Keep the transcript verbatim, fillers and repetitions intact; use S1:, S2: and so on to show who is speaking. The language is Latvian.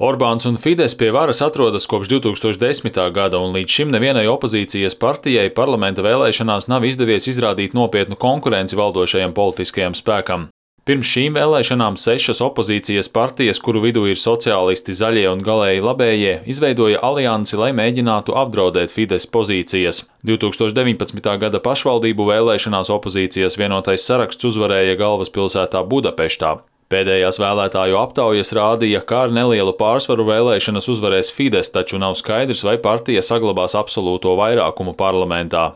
S1: Orbāns un Fides pie varas atrodas kopš divs tūkstoši desmitā gada, un līdz šim nevienai opozīcijas partijai parlamenta vēlēšanās nav izdevies izrādīt nopietnu konkurenci valdošajam politiskajam spēkam. Pirms šīm vēlēšanām sešas opozīcijas partijas, kuru vidū ir sociālisti, zaļie un galēji labējie, izveidoja aliansi, lai mēģinātu apdraudēt Fides pozīcijas. divs tūkstoši deviņpadsmitā gada pašvaldību vēlēšanās opozīcijas vienotais saraksts uzvarēja galvaspilsētā Budapeštā. Pēdējās vēlētāju aptaujas rādīja, ka ar nelielu pārsvaru vēlēšanas uzvarēs Fides, taču nav skaidrs, vai partija saglabās absolūto vairākumu parlamentā.